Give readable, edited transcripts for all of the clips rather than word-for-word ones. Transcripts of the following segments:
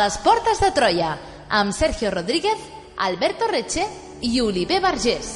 les portes de Troia, amb Sergio Rodríguez, Alberto Reche i Oliver Vergés.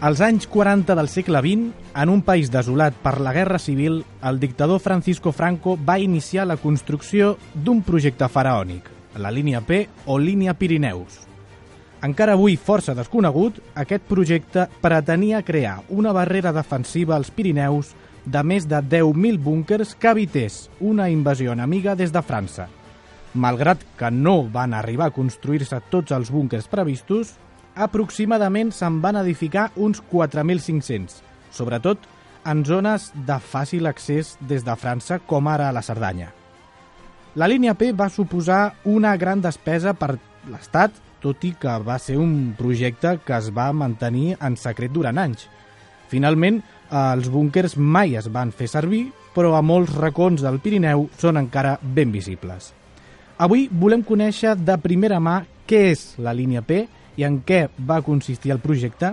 Als anys 40 del segle XX, en un país desolat per la Guerra Civil, el dictador Francisco Franco va iniciar la construcció d'un projecte faraònic, la línia P o línia Pirineus. Encara avui força desconegut, aquest projecte pretenia crear una barrera defensiva als Pirineus de més de 10.000 búnkers que evités una invasió enemiga des de França. Malgrat que no van arribar a construir-se tots els búnkers previstos, aproximadament se'n van edificar uns 4.500, sobretot en zones de fàcil accés des de França, com ara la Cerdanya. La línia P va suposar una gran despesa per l'Estat, tot i que va ser un projecte que es va mantenir en secret durant anys. Finalment, els búnkers mai es van fer servir, però a molts racons del Pirineu són encara ben visibles. Avui volem conèixer de primera mà què és la línia P i en què va consistir el projecte.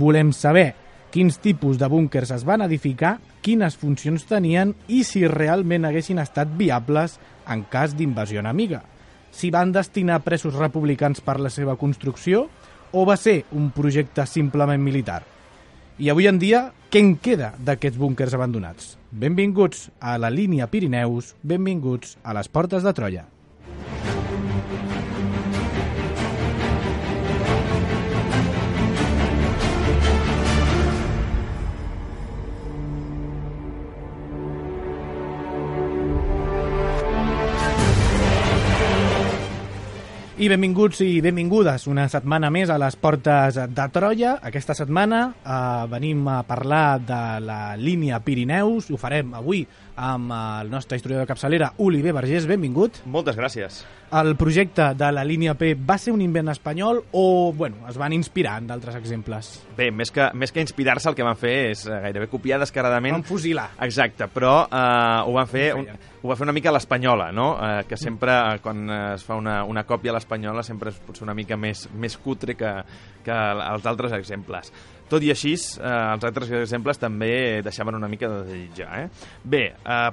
Volem saber quins tipus de búnkers es van edificar, quines funcions tenien i si realment haguessin estat viables en cas d'invasió enemiga. Si van destinar presos republicans per la seva construcció o va ser un projecte simplement militar. I avui en dia, què en queda d'aquests búnkers abandonats? Benvinguts a la línia Pirineus, benvinguts a les portes de Troia. I benvinguts i benvingudes una setmana més a les portes de Troia. Aquesta setmana venim a parlar de la línia Pirineus. Ho farem avui amb el nostre historiador de capçalera, Oliver Vergés. Benvingut. Moltes gràcies. El projecte de la línia P va ser un invent espanyol o es van inspirar en d'altres exemples? Bé, més que inspirar-se, el que van fer és gairebé copiar descaradament. Van fusilar. Exacte, però ho van fer una mica a l'espanyola, no? Que sempre, quan es fa una còpia a l'espanyola, sempre és potser una mica més cutre que els altres exemples. Tot i així, els altres exemples també deixaven una mica de desitjar. Bé,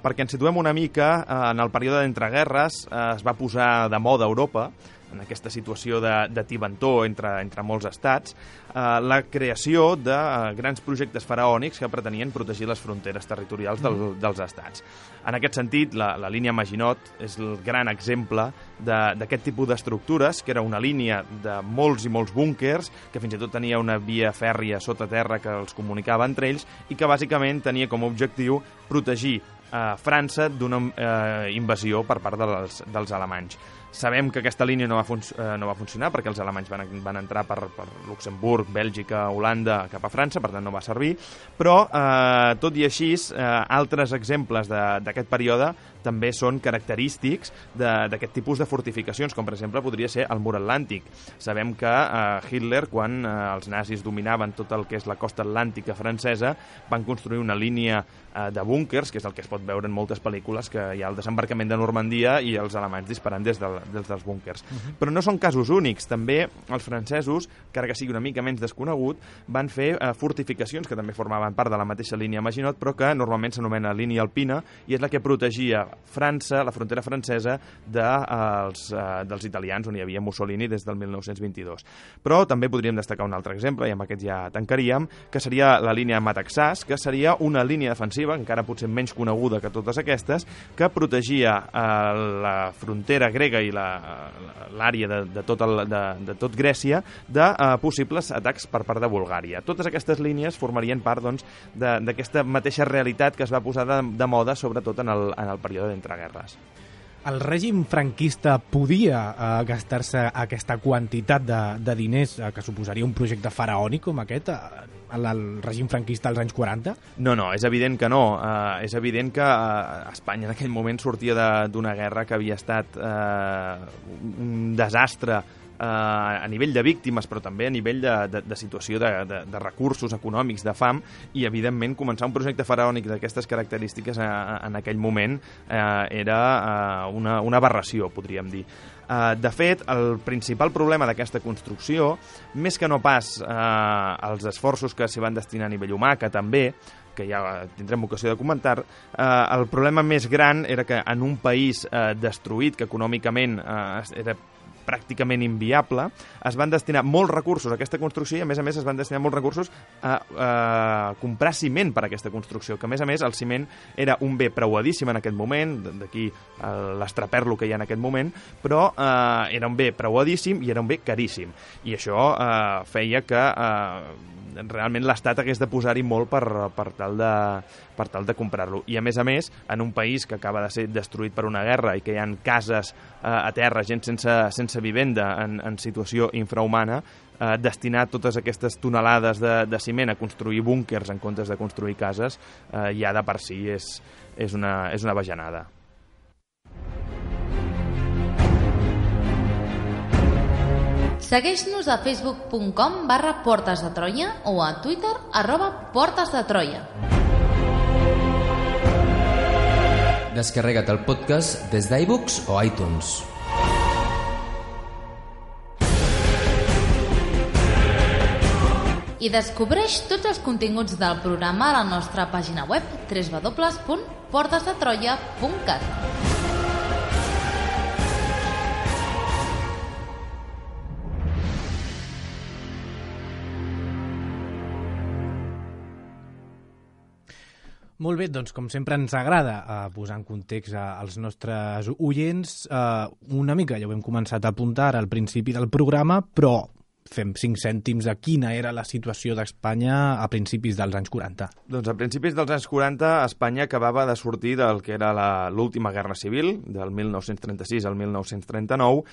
perquè ens situem una mica, en el període d'entreguerres es va posar de moda a Europa, en aquesta situació de tibantor entre molts estats, la creació de grans projectes faraònics que pretenien protegir les fronteres territorials dels estats. En aquest sentit, la línia Maginot és el gran exemple d'aquest tipus d'estructures, que era una línia de molts i molts búnkers, que fins i tot tenia una via fèrria sota terra que els comunicava entre ells i que bàsicament tenia com a objectiu protegir França d'una invasió per part dels alemanys. Sabem que aquesta línia no va funcionar perquè els alemanys van entrar per Luxemburg, Bèlgica, Holanda, cap a França, per tant no va servir, però tot i així, altres exemples d'aquest període també són característics d'aquest tipus de fortificacions, com per exemple podria ser el mur atlàntic. Sabem que Hitler, quan els nazis dominaven tot el que és la costa atlàntica francesa, van construir una línia de búnkers, que és el que es pot veure en moltes pel·lícules, que hi ha el desembarcament de Normandia i els alemanys disparant des dels búnkers. Però no són casos únics. També els francesos, encara que sigui una mica menys desconegut, van fer fortificacions que també formaven part de la mateixa línia Maginot, però que normalment s'anomena línia alpina, i és la que protegia França, la frontera francesa, dels italians, on hi havia Mussolini des del 1922. Però també podríem destacar un altre exemple, i amb aquest ja tancaríem, que seria la línia Mataxàs, que seria una línia defensiva, encara potser menys coneguda que totes aquestes, que protegia la frontera grega i l'àrea de tot Grècia de possibles atacs per part de Bulgària. Totes aquestes línies formarien part d'aquesta mateixa realitat que es va posar de moda, sobretot en el període d'entreguerres. El règim franquista podia gastar-se aquesta quantitat de diners que suposaria un projecte faraònic com aquest? el règim franquista als anys 40? No, és evident que no. És evident que Espanya en aquell moment sortia d'una guerra que havia estat un desastre a nivell de víctimes, però també a nivell de situació de recursos econòmics, de fam, i evidentment començar un projecte faraònic d'aquestes característiques en aquell moment era una aberració, podríem dir. De fet, el principal problema d'aquesta construcció, més que no pas els esforços que s'hi van destinar a nivell humà, que també, que ja tindrem ocasió de comentar, el problema més gran era que en un país destruït, que econòmicament era pràcticament inviable, es van destinar molts recursos a aquesta construcció i, a més, es van destinar molts recursos a comprar ciment per a aquesta construcció, que, a més, el ciment era un bé preuadíssim en aquest moment, d'aquí l'estraperlo que hi ha en aquest moment, però era un bé preuadíssim i era un bé caríssim. I això feia que realment l'Estat hagués de posar-hi molt per tal de comprar-lo. I, a més, en un país que acaba de ser destruït per una guerra i que hi ha cases a terra, gent sense vivenda en situació infrahumana, destinar totes aquestes tonelades de ciment a construir búnquers en comptes de construir cases ja de per si és una bajanada. Segueix-nos a facebook.com/Portes de Troia o a Twitter @PortesDeTroia. Descarrega't el podcast des d'iVoox o iTunes. I descobreix tots els continguts del programa a la nostra pàgina web www.portesdetroia.cat. Molt bé, doncs com sempre ens agrada posar en context als nostres oients una mica, ja ho hem començat a apuntar al principi del programa, però fem 5 cèntims a quina era la situació d'Espanya a principis dels anys 40. Doncs a principis dels anys 40 Espanya acabava de sortir del que era l'última guerra civil, del 1936 al 1939,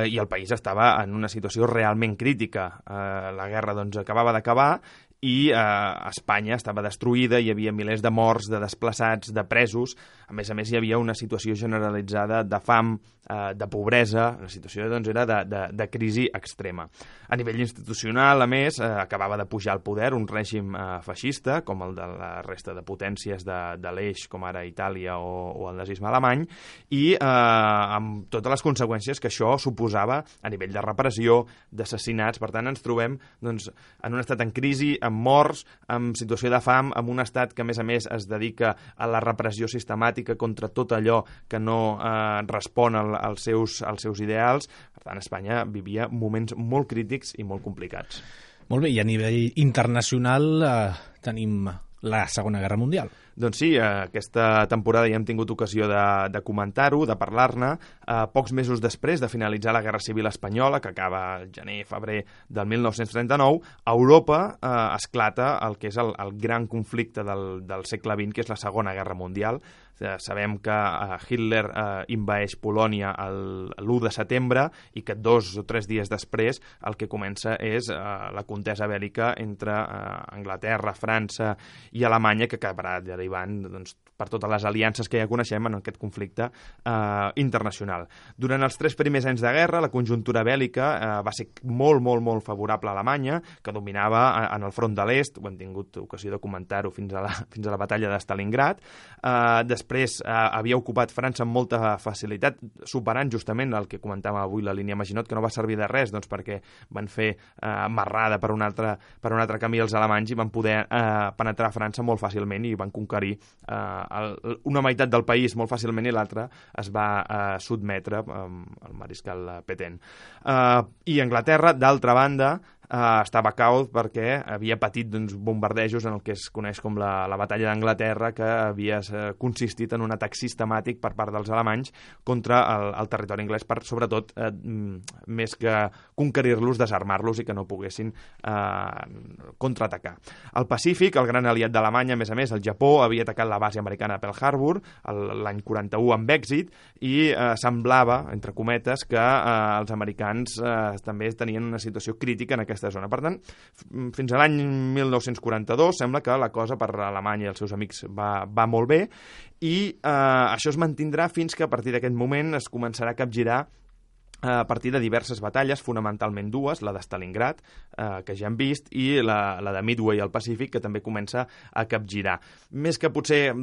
i el país estava en una situació realment crítica. La guerra doncs acabava d'acabar i Espanya estava destruïda, hi havia milers de morts, de desplaçats, de presos. A més, hi havia una situació generalitzada de fam, de pobresa, la situació doncs, era de crisi extrema. A nivell institucional, a més, acabava de pujar al poder un règim feixista, com el de la resta de potències de l'eix, com ara Itàlia o el nazisme alemany, i amb totes les conseqüències que això suposava a nivell de repressió, d'assassinats. Per tant, ens trobem doncs, en un estat en crisi, amb morts, amb situació de fam, amb un estat que, a més, es dedica a la repressió sistemàtica contra tot allò que no respon als seus ideals. Per tant, Espanya vivia moments molt crítics i molt complicats. Molt bé, i a nivell internacional tenim la Segona Guerra Mundial. Doncs sí, aquesta temporada ja hem tingut ocasió de comentar-ho, de parlar-ne. Pocs mesos després de finalitzar la Guerra Civil Espanyola, que acaba al gener-febrer del 1939, a Europa esclata el que és el gran conflicte del segle XX, que és la Segona Guerra Mundial. Sabem que Hitler invaeix Polònia l'1 de setembre i que 2 o 3 dies després el que comença és la contesa bèl·lica entre Anglaterra, França i Alemanya, que acabarà derivant doncs, per totes les aliances que ja coneixem en aquest conflicte internacional. Durant els 3 primers anys de guerra, la conjuntura bèl·lica va ser molt favorable a Alemanya, que dominava en el front de l'est, ho hem tingut ocasió de comentar-ho fins a la batalla de Stalingrad. Després havia ocupat França amb molta facilitat, superant justament el que comentàvem avui, la línia Maginot, que no va servir de res, doncs, perquè van fer marrada per un altre camí els alemanys i van poder penetrar a França molt fàcilment i van conquerir una meitat del país molt fàcilment i l'altra es va sotmetre al mariscal Pétain. I Anglaterra, d'altra banda, estava caos perquè havia patit bombardejos en el que es coneix com la batalla d'Anglaterra, que havia consistit en un atac sistemàtic per part dels alemanys contra el territori anglès, per sobretot més que conquerir-los, desarmar-los i que no poguessin contraatacar. Al Pacífic, el gran aliat d'Alemanya, a més, el Japó, havia atacat la base americana a Pearl Harbor l'any 41 amb èxit i semblava, entre cometes, que els americans també tenien una situació crítica en aquest aquesta zona. Per tant, fins a l'any 1942 sembla que la cosa per Alemanya i els seus amics va molt bé i això es mantindrà fins que a partir d'aquest moment es començarà a capgirar a partir de diverses batalles, fonamentalment dues, la de Stalingrad, que ja hem vist, i la de Midway al Pacífic, que també comença a capgirar. Més que potser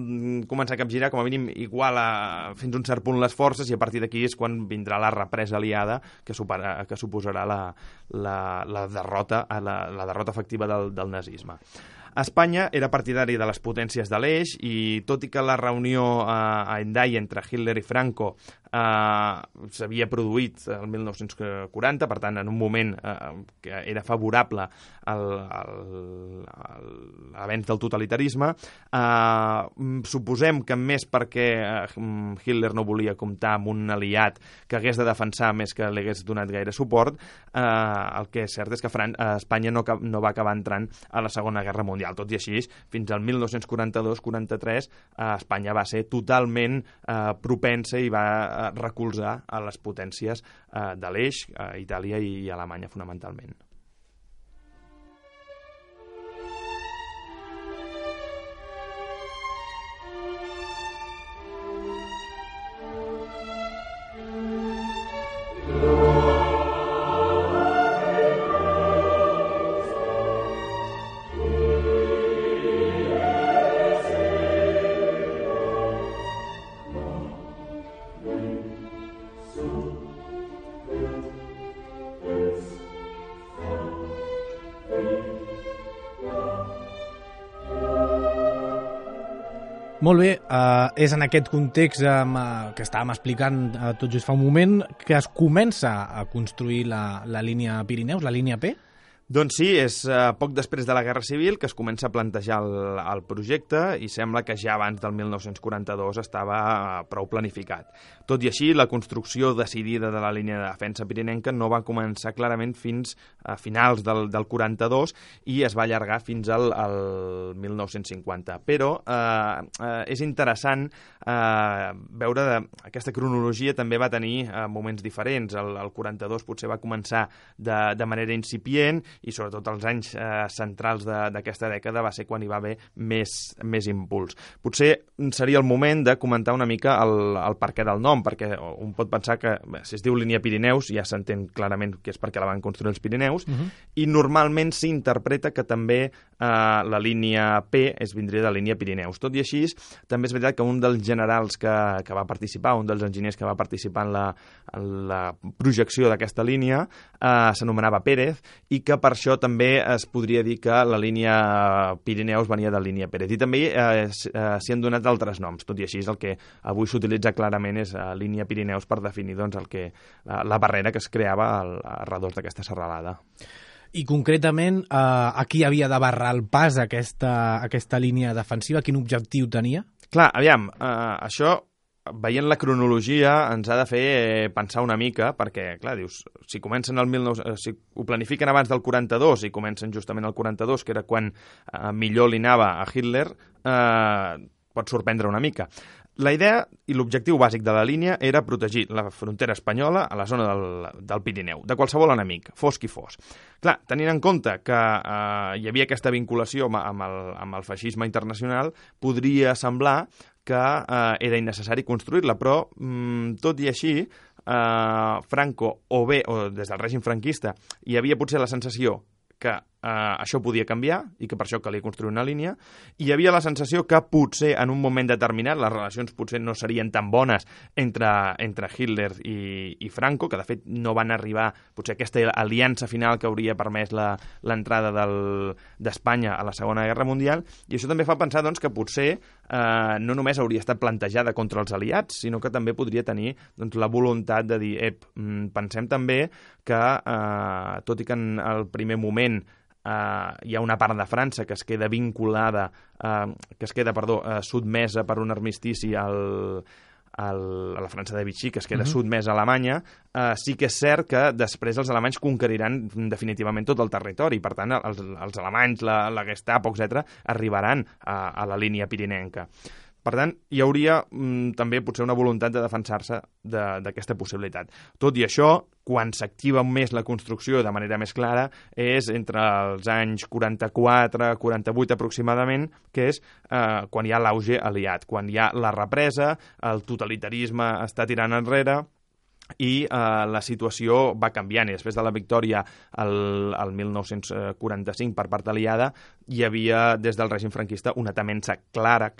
començar a capgirar, com a mínim iguala fins a un cert punt les forces, i a partir d'aquí és quan vindrà la represa aliada, que suposarà la derrota efectiva del nazisme. Espanya era partidari de les potències de l'Eix i tot i que la reunió a Hendaye entre Hitler i Franco s'havia produït el 1940, per tant, en un moment que era favorable a l'avenç del totalitarisme, suposem que més perquè Hitler no volia comptar amb un aliat que hagués de defensar més que li hagués donat gaire suport, el que és cert és que Espanya no va acabar entrant a la Segona Guerra Mundial. Tot i així, fins al 1942-43, Espanya va ser totalment propensa i va recolzar a les potències de l'Eix, Itàlia i Alemanya fonamentalment. Molt bé, és en aquest context que estàvem explicant tot just fa un moment que es comença a construir la línia Pirineus, la línia P? Doncs sí, és poc després de la Guerra Civil que es comença a plantejar el projecte i sembla que ja abans del 1942 estava prou planificat. Tot i així, la construcció decidida de la línia de defensa pirinenca no va començar clarament fins a finals del 42 i es va allargar fins al 1950. Però és interessant veure aquesta cronologia també va tenir moments diferents. El 42 potser va començar de manera incipient i sobretot els anys centrals d'aquesta dècada va ser quan hi va haver més impuls. Potser seria el moment de comentar una mica el perquè del nom, perquè un pot pensar que si es diu línia Pirineus ja s'entén clarament que és perquè la van construir els Pirineus, i normalment s'interpreta que també la línia P vindria de línia Pirineus. Tot i així, també és veritat que un dels generals que va participar, un dels enginyers que va participar en la projecció d'aquesta línia, s'anomenava Pérez, i que per això també es podria dir que la línia Pirineus venia de línia Pérez. I també s'hi han donat altres noms. Tot i així, el que avui s'utilitza clarament és línia Pirineus per definir la barrera que es creava al redós d'aquesta serralada. I concretament, a qui havia de barrar el pas aquesta línia defensiva? Quin objectiu tenia? Clar, aviam, això, veient la cronologia, ens ha de fer pensar una mica, perquè, clar, dius, si comencen si ho planifiquen abans del 42 i comencen justament el 42, que era quan millor li anava a Hitler, pot sorprendre una mica. La idea i l'objectiu bàsic de la línia era protegir la frontera espanyola a la zona del Pirineu, de qualsevol enemic, fos qui fos. Clar, tenint en compte que hi havia aquesta vinculació amb el feixisme internacional, podria semblar que era innecessari construir-la, però tot i així, Franco, o des del règim franquista, hi havia potser la sensació que això podia canviar i que per això calia construir una línia, i hi havia la sensació que potser en un moment determinat les relacions potser no serien tan bones entre Hitler i Franco, que de fet no van arribar potser a aquesta aliança final que hauria permès l'entrada d'Espanya a la Segona Guerra Mundial, i això també fa pensar doncs, que potser no només hauria estat plantejada contra els aliats, sinó que també podria tenir la voluntat de dir pensem també que, tot i que en el primer moment hi ha una part de França que es queda vinculada, sotmesa per un armistici a la França de Vichy, que es queda sotmesa a Alemanya, sí que és cert que després els alemanys conqueriran definitivament tot el territori. Per tant, els alemanys, la Gestapo, etc., arribaran a la línia pirinenca. Per tant, hi hauria també potser una voluntat de defensar-se d'aquesta possibilitat. Tot i això, quan s'activa més la construcció de manera més clara és entre els anys 44-48 aproximadament, que és quan hi ha l'auge aliat, quan hi ha la represa, el totalitarisme està tirant enrere, i la situació va canviant. I després de la victòria el 1945 per part aliada hi havia des del règim franquista una temença clara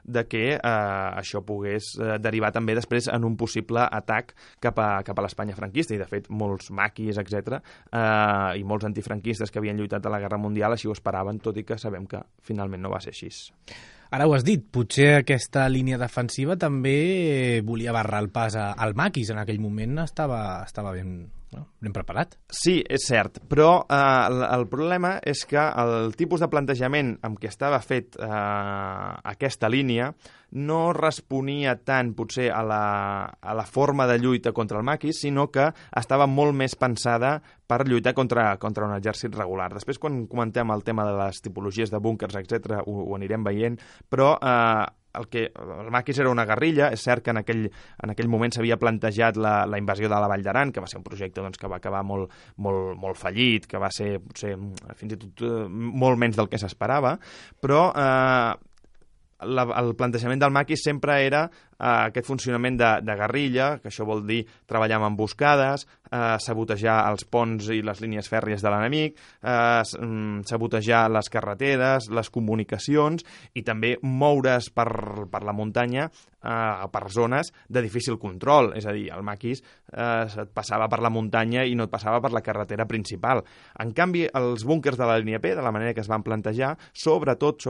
de que això pogués derivar també després en un possible atac cap a l'Espanya franquista, i de fet molts maquis, etc., i molts antifranquistes que havien lluitat a la Guerra Mundial així ho esperaven, tot i que sabem que finalment no va ser així. Ara ho has dit, potser aquesta línia defensiva també volia barrar el pas al maquis. En aquell moment estava ben preparat. Sí, és cert, però el problema és que el tipus de plantejament amb què estava fet aquesta línia no responia tant potser a la forma de lluita contra el maquis, sinó que estava molt més pensada per lluitar contra un exèrcit regular. Després, quan comentem el tema de les tipologies de búnkers, etc., ho anirem veient, però el maquis era una guerrilla. És cert que en aquell moment s'havia plantejat la invasió de la Vall d'Aran, que va ser un projecte que va acabar molt fallit, que va ser potser fins i tot molt menys del que s'esperava, però el plantejament del maquis sempre era aquest funcionament de guerrilla, que això vol dir treballar amb emboscades, sabotejar els ponts i les línies fèrries de l'enemic, sabotejar les carreteres, les comunicacions, i també moure's per la muntanya per zones de difícil control. És a dir, el maquis et passava per la muntanya i no et passava per la carretera principal. En canvi, els búnkers de la línia P, de la manera que es van plantejar, sobretot,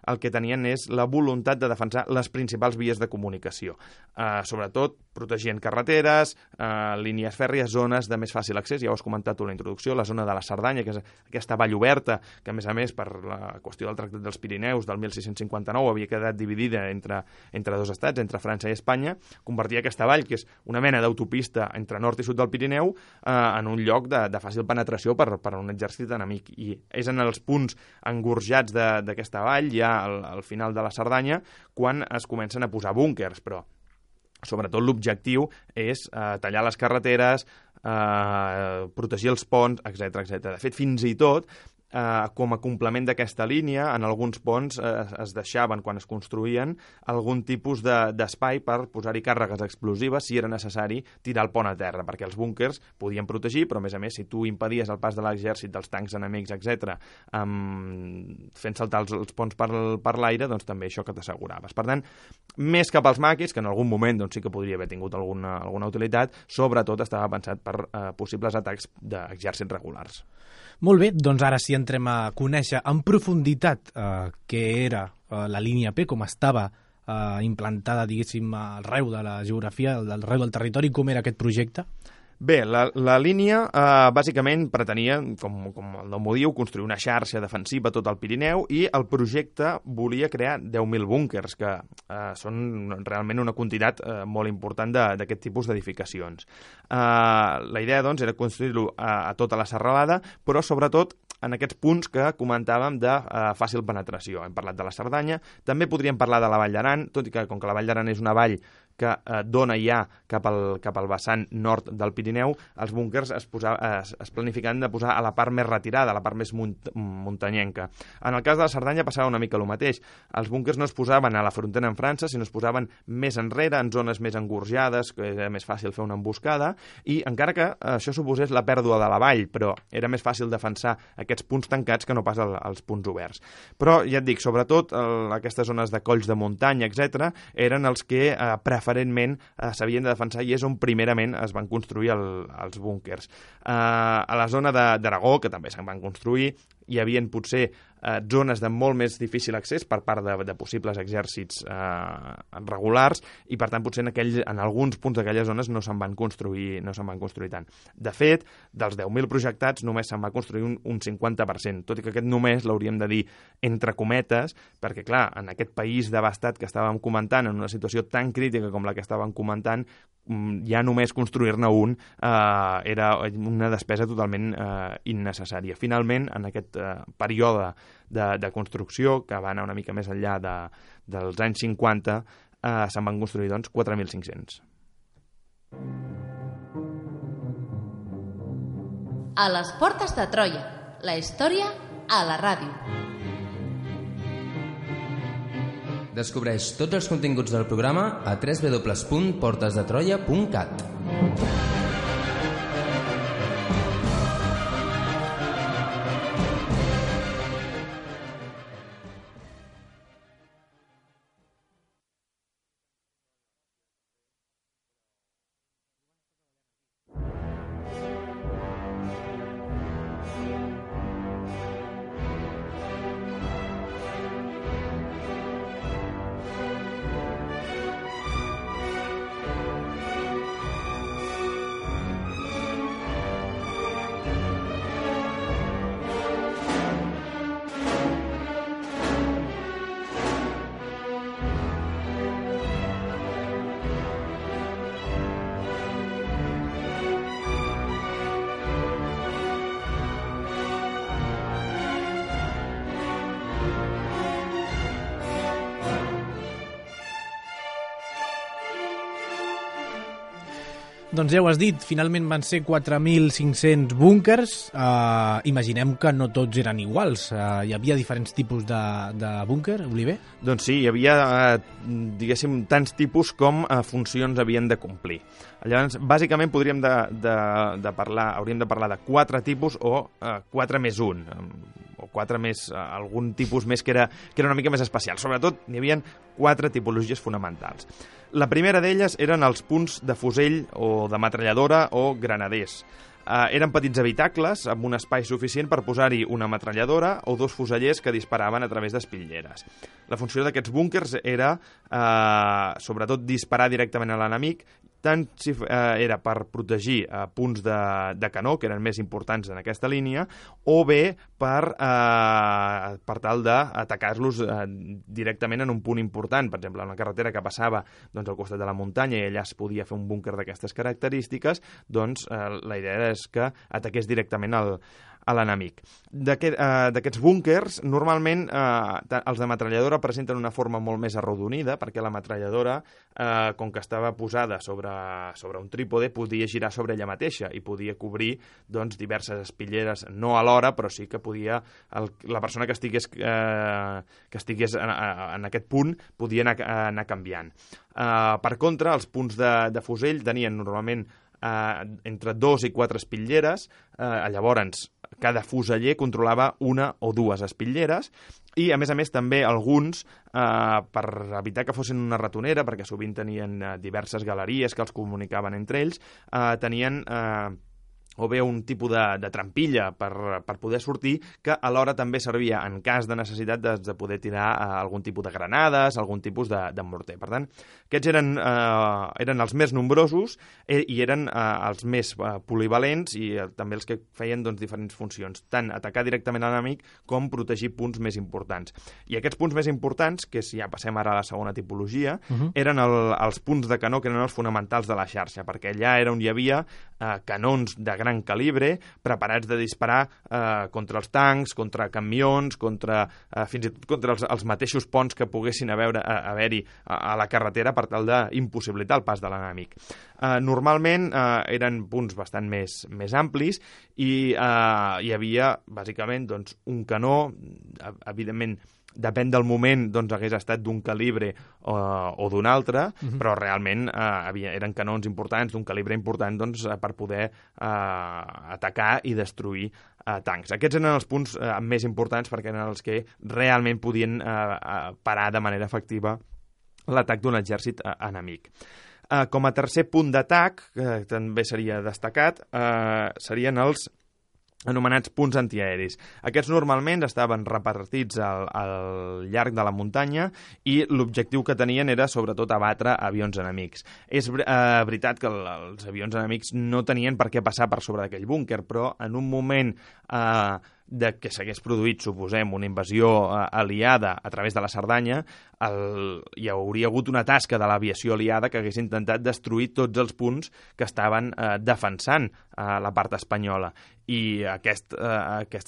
el que tenien és la voluntat de defensar les principals vies de comunicació. Sobretot protegint carreteres, línies fèrries, zones de més fàcil accés. Ja ho has comentat tu a la introducció, la zona de la Cerdanya, que és aquesta vall oberta, que a més, per la qüestió del Tractat dels Pirineus del 1659 havia quedat dividida entre dos estats, entre França i Espanya, convertia aquesta vall, que és una mena d'autopista entre nord i sud del Pirineu, en un lloc de fàcil penetració per un exèrcit enemic. I és en els punts engorjats d'aquesta vall, ja al final de la Cerdanya, quan es comencen a posar búnkers, però sobretot l'objectiu és tallar les carreteres, protegir els ponts, etc. De fet, fins i tot, com a complement d'aquesta línia, en alguns ponts es deixaven, quan es construïen, algun tipus d'espai per posar-hi càrregues explosives si era necessari tirar el pont a terra, perquè els búnkers podien protegir, però a més, si tu impedies el pas de l'exèrcit, dels tancs enemics, etc., fent saltar els ponts per l'aire, doncs també això que t'asseguraves. Per tant, més cap als maquis, que en algun moment sí que podria haver tingut alguna utilitat, sobretot estava pensat per possibles atacs d'exèrcits regulars. Molt bé, doncs ara sí entrem a conèixer en profunditat què era la línia P, com estava implantada, diguéssim, arreu de la geografia, arreu del territori, com era aquest projecte. Bé, la línia bàsicament pretenia, com el nom ho diu, construir una xarxa defensiva a tot el Pirineu, i el projecte volia crear 10.000 búnkers, que són realment una quantitat molt important d'aquest tipus d'edificacions. La idea, doncs, era construir-lo a tota la serralada, però sobretot en aquests punts que comentàvem de fàcil penetració. Hem parlat de la Cerdanya, també podríem parlar de la Vall d'Aran, tot i que com que la Vall d'Aran és una vall que dona ja cap al vessant nord del Pirineu, els búnkers es planificaven de posar a la part més retirada, a la part més muntanyenca. En el cas de la Cerdanya passava una mica el mateix. Els búnkers no es posaven a la frontera amb França, sinó es posaven més enrere, en zones més engorjades, que era més fàcil fer una emboscada, i encara que això suposés la pèrdua de la vall, però era més fàcil defensar aquests punts tancats que no pas els punts oberts. Però, ja et dic, sobretot aquestes zones de colls de muntanya, etc., eren els que preferentment s'havien de defensar, i és on primerament es van construir els búnkers. A la zona d'Aragó, que també se'n van construir, hi havia potser zones de molt més difícil accés per part de possibles exèrcits regulars, i per tant potser en alguns punts d'aquelles zones no se'n van construir tant. De fet, dels 10.000 projectats només se'n va construir un 50%, tot i que aquest només l'hauríem de dir entre cometes, perquè clar, en aquest país devastat que estàvem comentant, en una situació tan crítica com la que estàvem comentant, ja només construir-ne un era una despesa totalment innecessària. Finalment, en aquest període de construcció, que va anar una mica més enllà dels anys 50, se'n van construir, doncs, 4.500. A les portes de Troia, la història a la ràdio. Descobreix tots els continguts del programa a www.portesdetroia.cat. Doncs ja ho has dit, finalment van ser 4.500 búnkers. Imaginem que no tots eren iguals. Hi havia diferents tipus de búnquer, Oliver? Doncs sí, hi havia, diguéssim, tants tipus com funcions havien de complir. Llavors, bàsicament hauríem de parlar de 4 tipus o 4 més 1, o 4 més algun tipus més que era una mica més especial. Sobretot, n'hi havia 4 tipologies fonamentals. La primera d'elles eren els punts de fusell o de metralladora o granaders. Eren petits habitacles amb un espai suficient per posar-hi una metralladora o 2 fusellers que disparaven a través d'espitlleres. La funció d'aquests búnkers era, sobretot, disparar directament a l'enemic, tant si era per protegir punts de canó, que eren més importants en aquesta línia, o bé per tal d'atacar-los directament en un punt important. Per exemple, en una carretera que passava al costat de la muntanya i allà es podia fer un búnquer d'aquestes característiques, doncs la idea és que ataqués directament a l'enemic. D'aquests búnkers, normalment els de metralladora presenten una forma molt més arrodonida, perquè la metralladora, com que estava posada sobre un trípode, podia girar sobre ella mateixa i podia cobrir diverses espitleres, no alhora, però sí que podia la persona que estigués en aquest punt podia anar canviant. Per contra, els punts de fusell tenien normalment entre 2 i 4 espitlleres, llavors cada fuseller controlava 1 o 2 espitlleres i, a més, també alguns, per evitar que fossin una ratonera, perquè sovint tenien diverses galeries que els comunicaven entre ells, tenien o bé un tipus de trampilla per poder sortir, que alhora també servia en cas de necessitat de poder tirar algun tipus de granades, algun tipus de morter. Per tant, aquests eren els més nombrosos i eren els més polivalents i també els que feien diferents funcions, tant atacar directament a l'enemic com protegir punts més importants. I aquests punts més importants, que si ja passem ara a la segona tipologia, eren els punts de canó que eren els fonamentals de la xarxa, perquè allà era on hi havia canons de gran calibre, preparats de disparar contra els tancs, contra camions, fins i tot contra els mateixos ponts que poguessin haver-hi a la carretera per tal d'impossibilitar el pas de l'enemic. Normalment eren punts bastant més amplis i hi havia, bàsicament, un canó, evidentment, depèn del moment, hagués estat d'un calibre o d'un altre, però realment eren canons importants, d'un calibre important, per poder atacar i destruir tancs. Aquests eren els punts més importants perquè eren els que realment podien parar de manera efectiva l'atac d'un exèrcit enemic. Com a tercer punt d'atac, que també seria destacat, serien els anomenats punts antiaeris. Aquests normalment estaven repartits al llarg de la muntanya i l'objectiu que tenien era sobretot abatre avions enemics. És veritat que els avions enemics no tenien per què passar per sobre d'aquell búnquer, però en un moment de que s'hagués produït, suposem, una invasió aliada a través de la Cerdanya, hi hauria hagut una tasca de l'aviació aliada que hagués intentat destruir tots els punts que estaven defensant la part espanyola. I aquest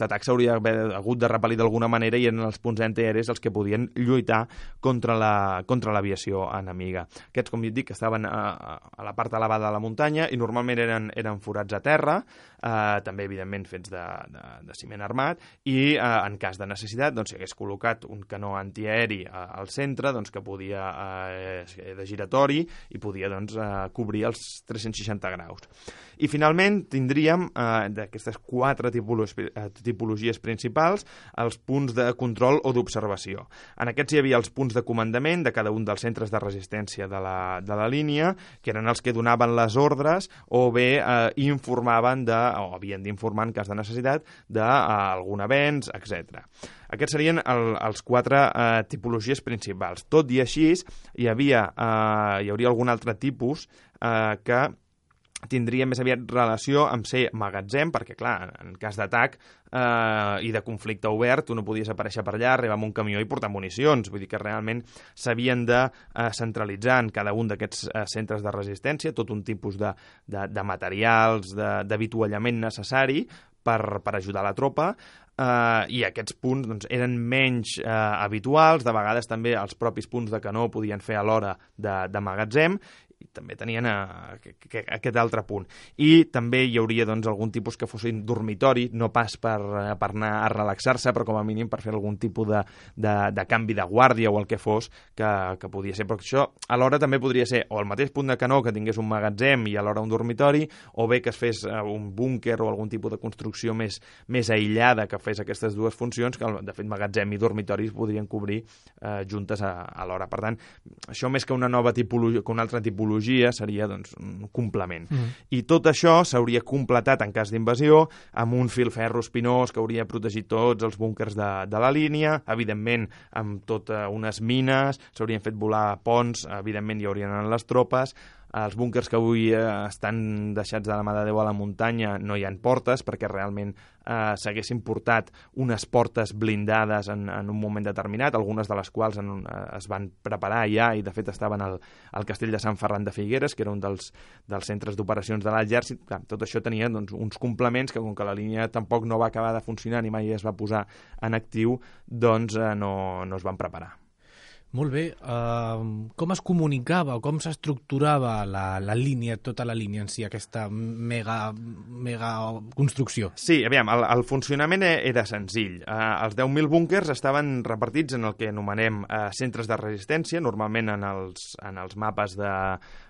atac s'hauria hagut de repel·lir d'alguna manera i eren els punts antiaeris els que podien lluitar contra l'aviació enemiga. Aquests, com dic, estaven a la part elevada de la muntanya i normalment eren forats a terra, també, evidentment, fets de ciment armat, i en cas de necessitat s'hi hagués col·locat un canó antiaeri al centre que podia de giratori i podia cobrir els 360 graus. I finalment tindríem d'aquestes 4 tipologies principals els punts de control o d'observació. En aquests hi havia els punts de comandament de cada un dels centres de resistència de la línia, que eren els que donaven les ordres o bé informaven o havien d'informar en cas de necessitat d'algun avenç, etc. Aquests serien els 4 tipologies principals. Tot i així, hi hauria algun altre tipus que tindria més aviat relació amb ser magatzem, perquè, clar, en cas d'atac i de conflicte obert, tu no podies aparèixer per allà, arribar amb un camió i portar municions. Vull dir que realment s'havien de centralitzar en cada un d'aquests centres de resistència tot un tipus de materials, d'avituallament necessari per ajudar la tropa, i aquests punts eren menys habituals. De vegades també els propis punts de canó podien fer alhora de magatzem, i també tenien aquest altre punt. I també hi hauria algun tipus que fossin dormitori, no pas per anar a relaxar-se, però com a mínim per fer algun tipus de canvi de guàrdia o el que fos que podia ser. Però això alhora també podria ser o el mateix punt de canó que tingués un magatzem i alhora un dormitori, o bé que es fes un búnquer o algun tipus de construcció més aïllada que fes aquestes dues funcions, que de fet magatzem i dormitoris podrien cobrir juntes alhora. Per tant, això més que una nova tipologia, que una altra tipologia, seria un complement. I tot això s'hauria completat en cas d'invasió amb un filferro espinós que hauria protegit tots els búnquers de la línia, evidentment amb totes unes mines, s'haurien fet volar ponts, evidentment hi haurien anat les tropes. Els búnquers que avui estan deixats de la mà de Déu a la muntanya no hi ha portes, perquè realment s'haguessin portat unes portes blindades en un moment determinat, algunes de les quals es van preparar ja i de fet estaven al castell de Sant Ferran de Figueres, que era un dels centres d'operacions de l'exèrcit. Tot això tenia uns complements que, com que la línia tampoc no va acabar de funcionar ni mai es va posar en actiu, no es van preparar. Molt bé. Com es comunicava o com s'estructurava la línia, tota la línia en si, aquesta mega construcció? Sí, aviam, el funcionament era senzill. Els 10.000 búnquers estaven repartits en el que anomenem centres de resistència. Normalment en els mapes de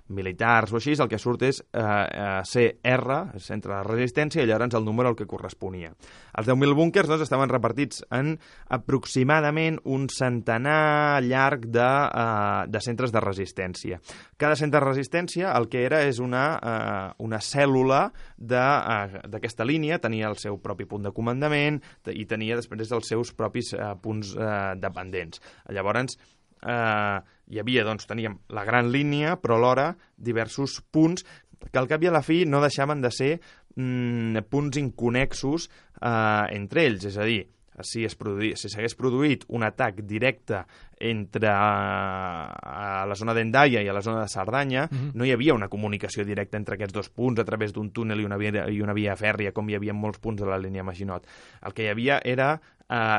militars o així, el que surt és CR, centre de resistència, i llavors el número al que corresponia. Els 10.000 búnquers estaven repartits en aproximadament un centenar llarg de centres de resistència. Cada centre de resistència el que era és una cèl·lula d'aquesta línia, tenia el seu propi punt de comandament i tenia després els seus propis punts dependents. Llavors, hi havia, teníem la gran línia, però alhora diversos punts que al cap i a la fi no deixaven de ser punts inconnexos entre ells, és a dir, si s'hagués produït un atac directe entre a la zona d'Hendaia i a la zona de Cerdanya, no hi havia una comunicació directa entre aquests dos punts a través d'un túnel i una via fèrria, com hi havia en molts punts de la línia Maginot. El que hi havia era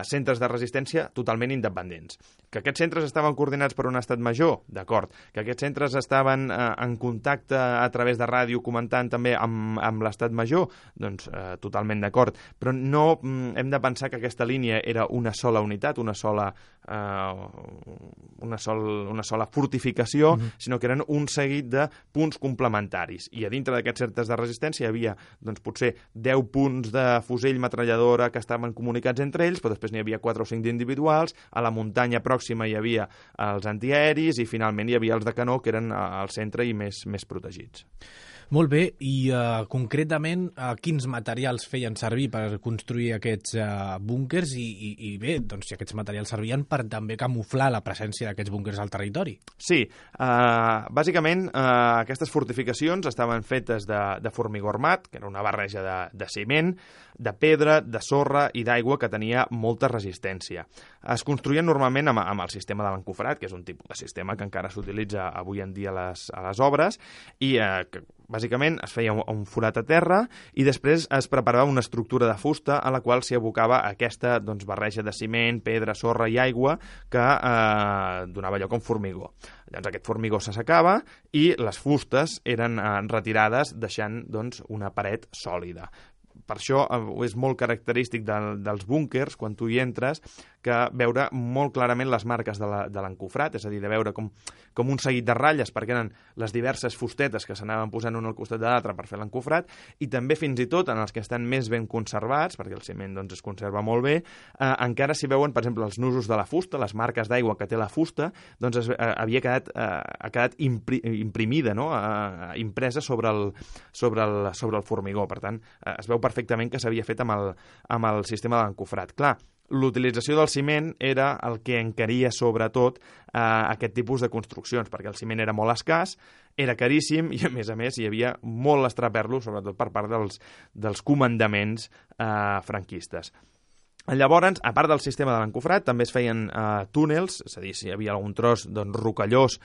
centres de resistència totalment independents. Que aquests centres estaven coordinats per un estat major, d'acord. Que aquests centres estaven en contacte a través de ràdio comentant també amb l'estat major, doncs totalment d'acord. Però no hem de pensar que aquesta línia era una sola unitat, una sola fortificació, sinó que eren un seguit de punts complementaris. I a dintre d'aquests centres de resistència hi havia potser 10 punts de fusell metralladora que estaven comunicats entre ells, però després n'hi havia 4 o 5 d'individuals, a la muntanya pròxima hi havia els antiaeris i finalment hi havia els de canó, que eren al centre i més protegits. Molt bé, i concretament quins materials feien servir per construir aquests búnkers i bé, doncs si aquests materials servien per també camuflar la presència d'aquests búnkers al territori? Sí, bàsicament aquestes fortificacions estaven fetes de formigó armat, que era una barreja de ciment, de pedra, de sorra i d'aigua que tenia molta resistència. Es construïen normalment amb el sistema de l'encofrat, que és un tipus de sistema que encara s'utilitza avui en dia a les obres, i que bàsicament es feia un forat a terra i després es preparava una estructura de fusta a la qual s'hi abocava aquesta barreja de ciment, pedra, sorra i aigua que donava lloc a un formigó. Llavors aquest formigó s'assecava i les fustes eren retirades deixant una paret sòlida. Per això és molt característic dels búnkers, quan tu hi entres, que veure molt clarament les marques de l'encofrat, és a dir, de veure com un seguit de ratlles, perquè eren les diverses fustetes que s'anaven posant un al costat de l'altre per fer l'encofrat, i també fins i tot en els que estan més ben conservats, perquè el ciment es conserva molt bé, encara s'hi veuen, per exemple, els nusos de la fusta, les marques d'aigua que té la fusta, ha quedat imprimida, no? Impresa sobre el formigó. Per tant, es veu perfectament que s'havia fet amb el sistema de l'encofrat. Clar, l'utilització del ciment era el que encaria sobretot aquest tipus de construccions, perquè el ciment era molt escàs, era caríssim i, a més, hi havia molt estraperlo, sobretot per part dels comandaments franquistes. Llavors, a part del sistema de l'encofrat, també es feien túnels, és a dir, si hi havia algun tros rocallós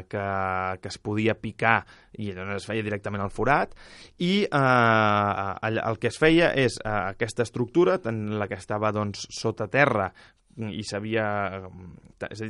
que es podia picar i llavors es feia directament al forat, i el que es feia és aquesta estructura, tant la que estava sota terra i és a dir,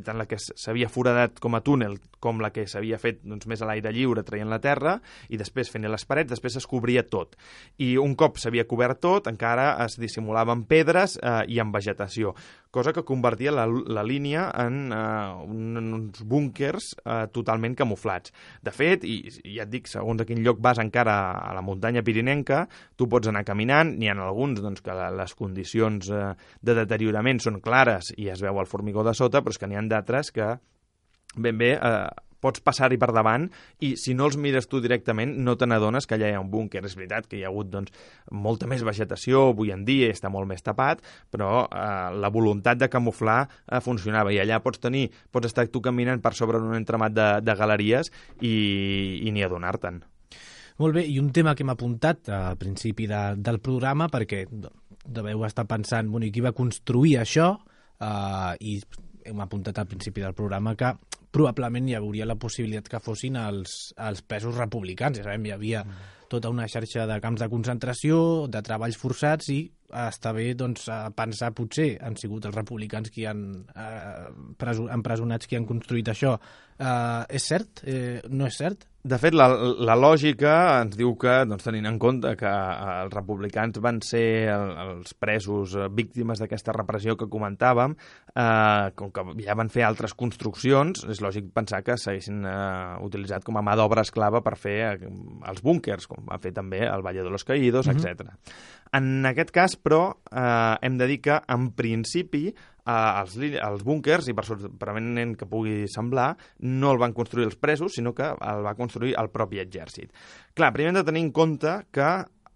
tant la que s'havia foradat com a túnel com la que s'havia fet més a l'aire lliure traient la terra i després fent les parets, després es cobria tot. I un cop s'havia cobert tot, encara es dissimulaven pedres i en vegetació, cosa que convertia la línia en uns búnkers totalment camuflats. De fet, i ja et dic, segons a quin lloc vas encara a la muntanya pirinenca, tu pots anar caminant, n'hi ha alguns que les condicions de deteriorament són clares i es veu el formigó de sota, però és que n'hi ha d'altres que ben bé pots passar-hi per davant i si no els mires tu directament no te n'adones que allà hi ha un búnquer. És veritat que hi ha hagut molta més vegetació avui en dia, està molt més tapat, però la voluntat de camuflar funcionava i allà pots estar tu caminant per sobre un entramat de galeries i ni adonar-te'n. Molt bé, i un tema que hem apuntat al principi del programa, perquè deveu estar pensant, qui va construir això? I hem apuntat al principi del programa que probablement hi hauria la possibilitat que fossin els presos republicans. Ja sabem, hi havia tota una xarxa de camps de concentració, de treballs forçats, i està bé pensar, potser han sigut els republicans qui han empresonats, qui han construït això. És cert? No és cert? De fet, la lògica ens diu que, tenint en compte que els republicans van ser els presos víctimes d'aquesta repressió que comentàvem, com que ja van fer altres construccions, és lògic pensar que s'haguessin utilitzat com a mà d'obra esclava per fer els búnkers, com va fer també el Valle de los Caídos, etc. En aquest cas, però, hem de dir que, en principi, els búnkers, i per sorprenent que pugui semblar, no el van construir els presos, sinó que el va construir el propi exèrcit. Clar, primer hem de tenir en compte que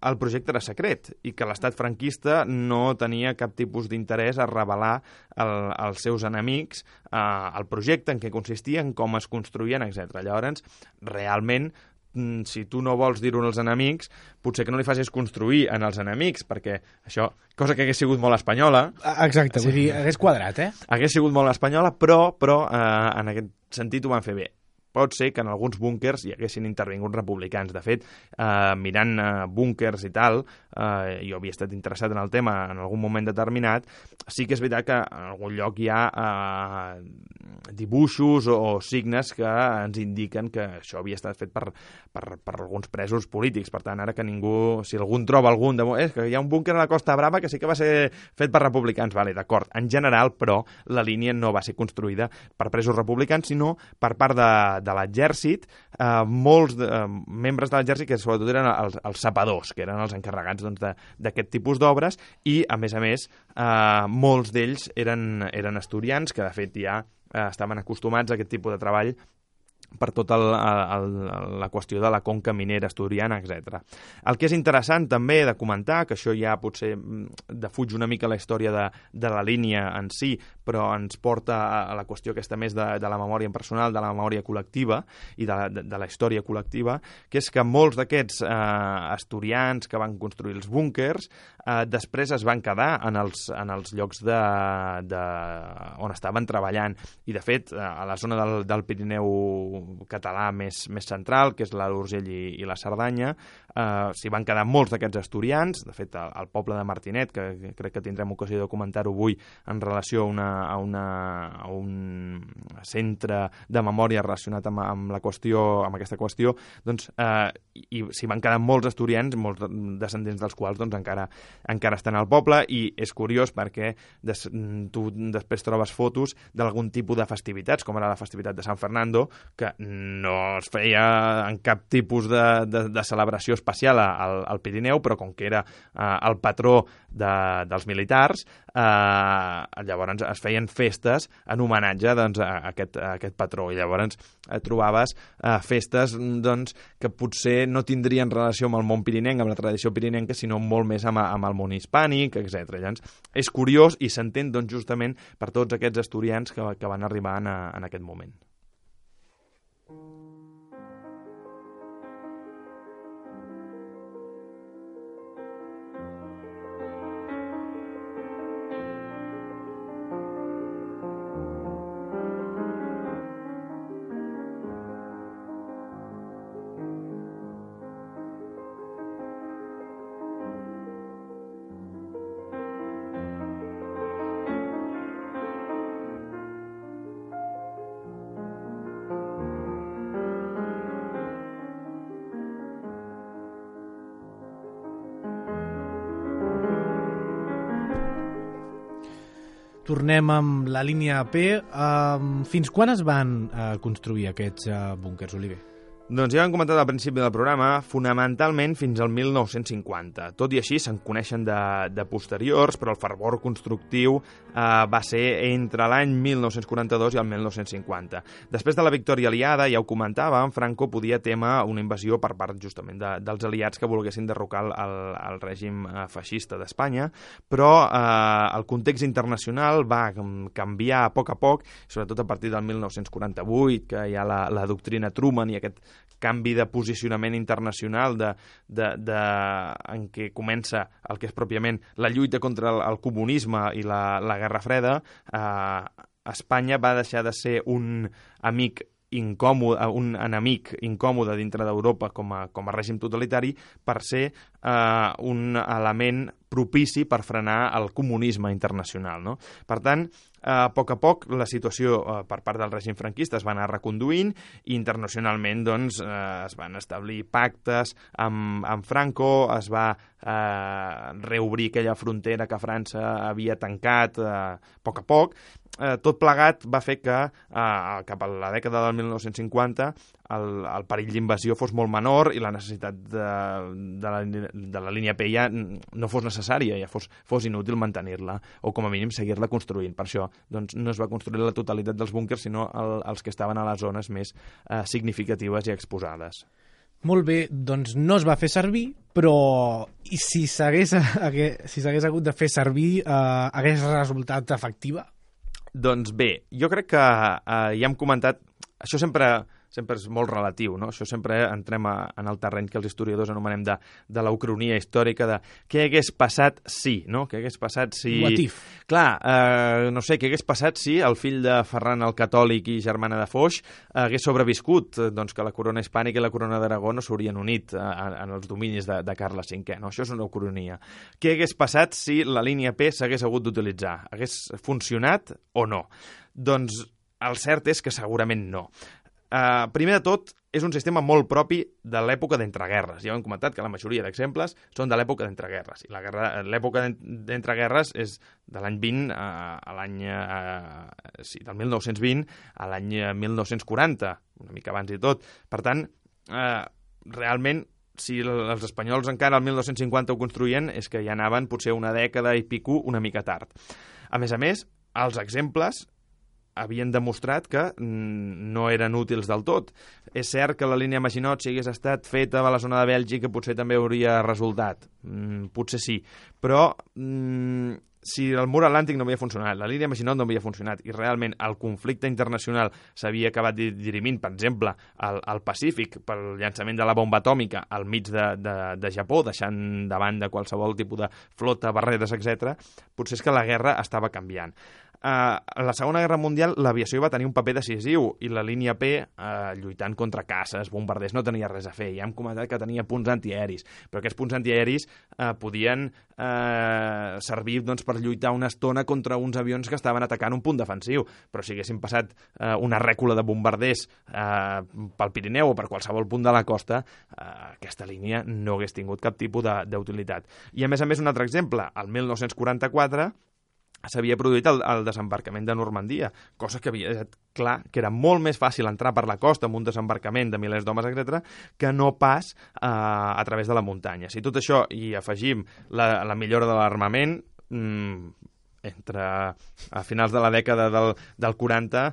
el projecte era secret i que l'estat franquista no tenia cap tipus d'interès a revelar als seus enemics el projecte, en què consistia, en com es construïen, etc. Llavors, realment, si tu no vols dir-ho als enemics, potser que no li facis construir en els enemics, perquè això, cosa que hagués sigut molt espanyola... Exacte, vull dir, hagués quadrat, Hagués sigut molt espanyola, però en aquest sentit ho van fer bé. Pot ser que en alguns búnkers hi haguessin intervingut republicans. De fet, mirant búnkers i tal, jo havia estat interessat en el tema en algun moment determinat, sí que és veritat que en algun lloc hi ha dibuixos o signes que ens indiquen que això havia estat fet per alguns presos polítics. Per tant, ara que ningú, si algú troba algun que hi ha un búnquer a la Costa Brava que sí que va ser fet per republicans, vale, d'acord. En general, però, la línia no va ser construïda per presos republicans, sinó per part de l'exèrcit, molts membres de l'exèrcit que sobretot eren els sapadors, que eren els encarregats d'aquest tipus d'obres, i a més, molts d'ells eren asturians, que de fet ja estaven acostumats a aquest tipus de treball per tota la qüestió de la conca minera asturiana, etc. El que és interessant també de comentar, que això ja potser defuig una mica la història de la línia en si, però ens porta a la qüestió aquesta més de la memòria personal, de la memòria col·lectiva i de la història col·lectiva, que és que molts d'aquests asturians que van construir els búnkers després es van quedar en els llocs on estaven treballant. I, de fet, a la zona del Pirineu català més central, que és l'Alt Urgell i la Cerdanya, s'hi van quedar molts d'aquests asturians. De fet, el poble de Martinet, que crec que tindrem ocasió de comentar-ho avui en relació a un centre de memòria relacionat amb aquesta qüestió, doncs i s'hi van quedar molts asturians, molts descendents dels quals doncs, encara estan al poble, i és curiós perquè tu després trobes fotos d'algun tipus de festivitats, com era la festivitat de Sant Fernando, que no es feia en cap tipus de celebració especial al Pirineu, però com que era el patró dels militars, llavors es feien festes en homenatge doncs, a aquest patró, i llavors trobaves festes doncs, que potser no tindrien relació amb el món pirinenc, amb la tradició pirinenca, sinó molt més amb el món hispànic, etc. Llavors, és curiós i s'entén doncs, justament per tots aquests asturians que van arribar en aquest moment. Tornem amb la línia P. Fins quan es van construir aquests búnkers, Oliver? Doncs ja ho hem comentat al principi del programa, fonamentalment fins al 1950. Tot i així se'n coneixen de posteriors, però el fervor constructiu va ser entre l'any 1942 i el 1950. Després de la victòria aliada, ja ho comentàvem, Franco podia témer una invasió per part justament dels aliats que volguessin derrocar el règim feixista d'Espanya, però el context internacional va canviar a poc, sobretot a partir del 1948, que hi ha la doctrina Truman i aquest canvi de posicionament internacional en què comença el que és pròpiament la lluita contra el comunisme i la Guerra Freda. Espanya va deixar de ser un enemic incòmode dintre d'Europa com a règim totalitari per ser un element propici per frenar el comunisme internacional, no? Per tant, a poc la situació per part del règim franquista es va anar reconduint i internacionalment doncs, es van establir pactes amb Franco, es va reobrir aquella frontera que França havia tancat a poc. Tot plegat va fer que cap a la dècada del 1950 el perill d'invasió fos molt menor i la necessitat de la línia P ja no fos necessària, ja fos inútil mantenir-la o com a mínim seguir-la construint. Per això doncs, no es va construir la totalitat dels búnkers, sinó els que estaven a les zones més significatives i exposades. Molt bé, doncs no es va fer servir, però si s'hagués hagut de fer servir, hagués resultat efectiva? Doncs bé, jo crec que ja hem comentat, això sempre és molt relatiu, no? Això sempre entrem en el terreny que els historiadors anomenem de la ucronia històrica, de què hagués passat si, no? Què hagués passat si... What if? Clar, no sé, què hagués passat si el fill de Ferran el Catòlic i germana de Foix hagués sobreviscut, doncs que la corona hispànica i la corona d'Aragó no s'haurien unit en els dominis de Carles V, no? Això és una ucronia. Què hagués passat si la línia P s'hagués hagut d'utilitzar? Hagués funcionat o no? Doncs el cert és que segurament no. Primer de tot, és un sistema molt propi de l'època d'entreguerres. Ja ho hem comentat que la majoria d'exemples són de l'època d'entreguerres. I l'època d'entreguerres és de l'any 20 a l'any... del 1920 a l'any 1940, una mica abans i tot. Per tant, realment, si els espanyols encara al 1950 ho construïen, és que ja anaven potser una dècada i pico una mica tard. A més, els exemples havien demostrat que no eren útils del tot. És cert que la línia Maginot, si hagués estat feta a la zona de Bèlgica, potser també hauria resultat. Potser sí. Però si el mur atlàntic no havia funcionat, la línia Maginot no havia funcionat i realment el conflicte internacional s'havia acabat dirimint, per exemple, al Pacífic pel llançament de la bomba atòmica al mig de Japó, deixant de banda qualsevol tipus de flota, barreres, etc., potser és que la guerra estava canviant. A la Segona Guerra Mundial l'aviació va tenir un paper decisiu i la línia P, lluitant contra caces, bombarders, no tenia res a fer. Ja hem comentat que tenia punts antiaeris, però aquests punts antiaeris podien servir doncs, per lluitar una estona contra uns avions que estaven atacant un punt defensiu. Però si haguessin passat una rècula de bombarders pel Pirineu o per qualsevol punt de la costa, aquesta línia no hagués tingut cap tipus d'utilitat. I a més, un altre exemple, el 1944 s'havia produït el desembarcament de Normandia, cosa que havia estat clar que era molt més fàcil entrar per la costa amb un desembarcament de milers d'homes, etc., que no pas a través de la muntanya. Si tot això hi afegim la millora de l'armament, a finals de la dècada del 40,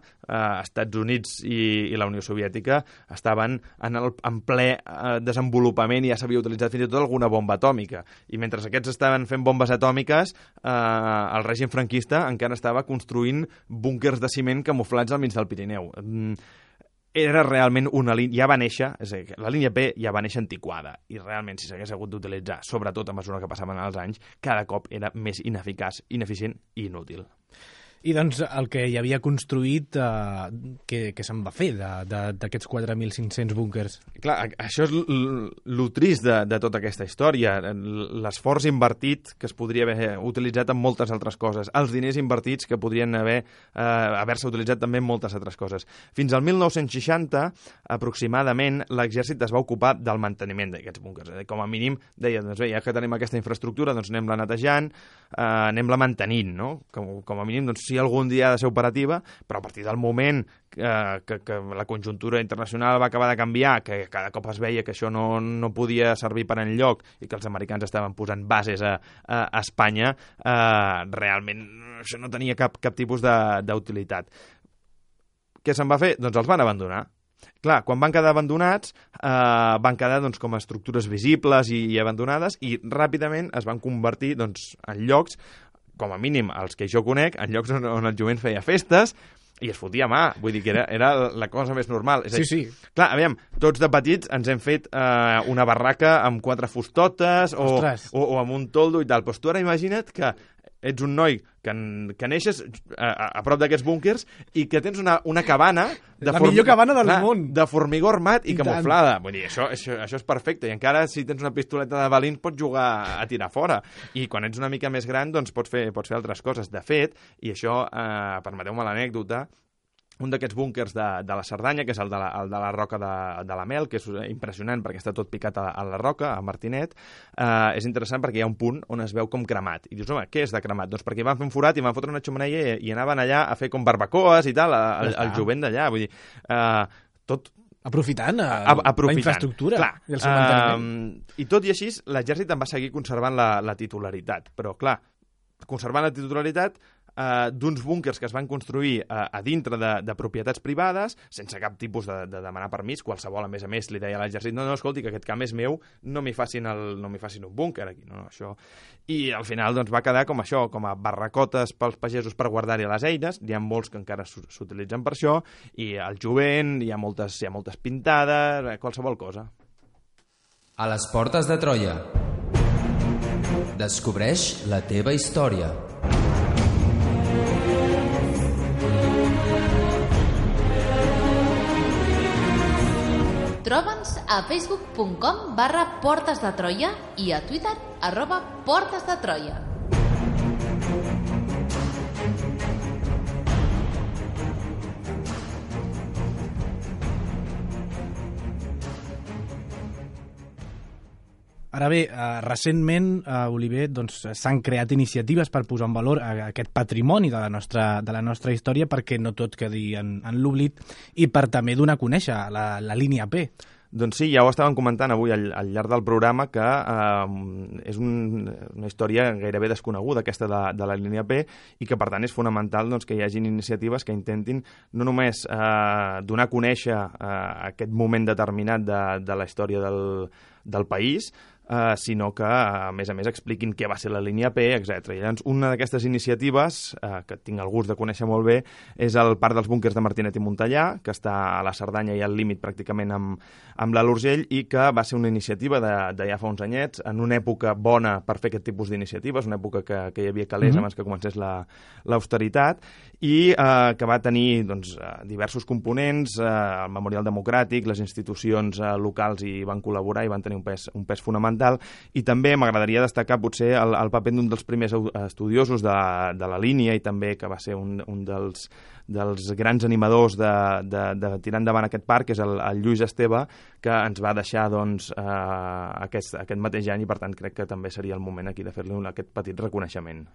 Estats Units i la Unió Soviètica estaven en ple desenvolupament i ja s'havia utilitzat fins i tot alguna bomba atòmica. I mentre aquests estaven fent bombes atòmiques, el règim franquista encara estava construint búnquers de ciment camuflats al mig del Pirineu. Era realment una línia, ja va néixer, és a dir, la línia P ja va néixer antiquada i realment si s'hagués hagut d'utilitzar, sobretot a mesura que passaven els anys, cada cop era més ineficaç, ineficient i inútil. I doncs el que hi havia construït, què se'n va fer d'aquests 4.500 búnkers? Clar, això és lo trist de tota aquesta història, l'esforç invertit que es podria haver utilitzat en moltes altres coses, els diners invertits que podrien haver-se utilitzat també en moltes altres coses. Fins al 1960, aproximadament, l'exèrcit es va ocupar del manteniment d'aquests búnkers. Com a mínim, deia, doncs bé, ja que tenim aquesta infraestructura, doncs anem-la netejant, anem-la mantenint, no? Com a mínim, doncs si algun dia ha de ser operativa, però a partir del moment que la conjuntura internacional va acabar de canviar, que cada cop es veia que això no podia servir per enlloc i que els americans estaven posant bases a Espanya, realment això no tenia cap tipus d'utilitat. Què se'n va fer? Doncs els van abandonar. Clar, quan van quedar abandonats, van quedar doncs, com a estructures visibles i abandonades i ràpidament es van convertir doncs, en llocs, com a mínim els que jo conec, en llocs on el jovent feia festes i es fotia mà, vull dir que era la cosa més normal. És a dir, sí. Clar, aviam, tots de petits ens hem fet una barraca amb 4 fustotes o amb un toldo i tal, però tu ara imagina't que ets un noi que neixes a prop d'aquests búnkers i que tens una cabana la millor cabana del món de formigó armat i camuflada. Vull dir, això és perfecte i encara si tens una pistoleta de balins pots jugar a tirar fora i quan ets una mica més gran doncs pots fer altres coses. De fet, i això permeteu-me l'anècdota, un d'aquests búnkers de la Cerdanya, que és el de la Roca de la Mel, que és impressionant perquè està tot picat a la roca, a Martinet, és interessant perquè hi ha un punt on es veu com cremat. I dius, home, què és de cremat? Doncs perquè van fer un forat i van fotre una xemeneia i anaven allà a fer com barbacoes i tal, el jovent d'allà. Vull dir, tot aprofitant la infraestructura. Clar, i el seu manteniment. I tot i així, l'exèrcit en va seguir conservant la titularitat. Però, clar, conservant la titularitat d'uns búnkers que es van construir a dintre de propietats privades, sense cap tipus de demanar permís, qualsevol, a més, li deia a l'exèrcit, no, escolti, que aquest camp és meu, no m'hi facin un búnquer aquí, no, això. I al final doncs, va quedar com això, com a barracotes pels pagesos per guardar-hi les eines, hi ha molts que encara s'utilitzen per això, i al jovent hi ha moltes pintades, qualsevol cosa. A les portes de Troia. Descobreix la teva història. Troba'ns a facebook.com/Portes de Troia i a Twitter @Portes de Troia. Ara bé, recentment, Oliver, doncs, s'han creat iniciatives per posar en valor aquest patrimoni de la nostra història perquè no tot quedi en l'oblit i per també donar a conèixer la línia P. Doncs sí, ja ho estàvem comentant avui al llarg del programa, que és una història gairebé desconeguda, aquesta de la línia P, i que, per tant, és fonamental doncs, que hi hagin iniciatives que intentin no només donar a conèixer aquest moment determinat de la història del país, sinó que, a més, expliquin què va ser la línia P, etc. I llavors, una d'aquestes iniciatives, que tinc el gust de conèixer molt bé, és el Parc dels Búnquers de Martinet i Montellà, que està a la Cerdanya i al límit pràcticament amb l'Alt Urgell, i que va ser una iniciativa de ja fa uns anyets, en una època bona per fer aquest tipus d'iniciatives, una època que hi havia calés abans que comencés l'austeritat, i que va tenir doncs, diversos components, el Memorial Democràtic, les institucions locals hi van col·laborar i van tenir un pes fonamental, i també m'agradaria destacar potser el paper d'un dels primers estudiosos de la línia, i també que va ser un dels grans animadors de tirar endavant aquest parc, que és el Lluís Esteve, que ens va deixar doncs, aquest mateix any, i per tant crec que també seria el moment aquí de fer-li aquest petit reconeixement.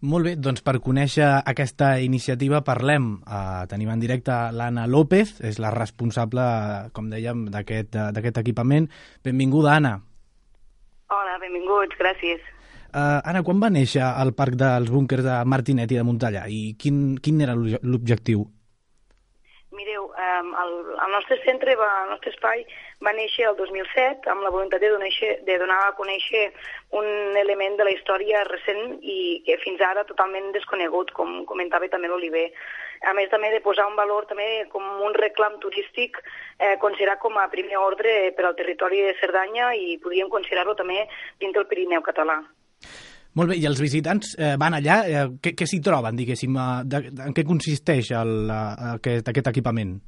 Molt bé, doncs per conèixer aquesta iniciativa parlem. Tenim en directe l'Anna López, és la responsable, com dèiem, d'aquest equipament. Benvinguda, Anna. Hola, benvinguts, gràcies. Anna, quan va néixer el Parc dels Búnquers de Martinet i de Montellà i quin era l'objectiu? Mireu, el nostre centre, el nostre espai, va néixer el 2007 amb la voluntat de donar a conèixer un element de la història recent i que fins ara totalment desconegut, com comentava també l'Oliver. A més, també de posar un valor també com un reclam turístic, considerat com a primer ordre per al territori de Cerdanya, i podríem considerar-lo també dins del Pirineu català. Molt bé, i els visitants van allà, què s'hi troben, diguéssim, en què consisteix aquest equipament?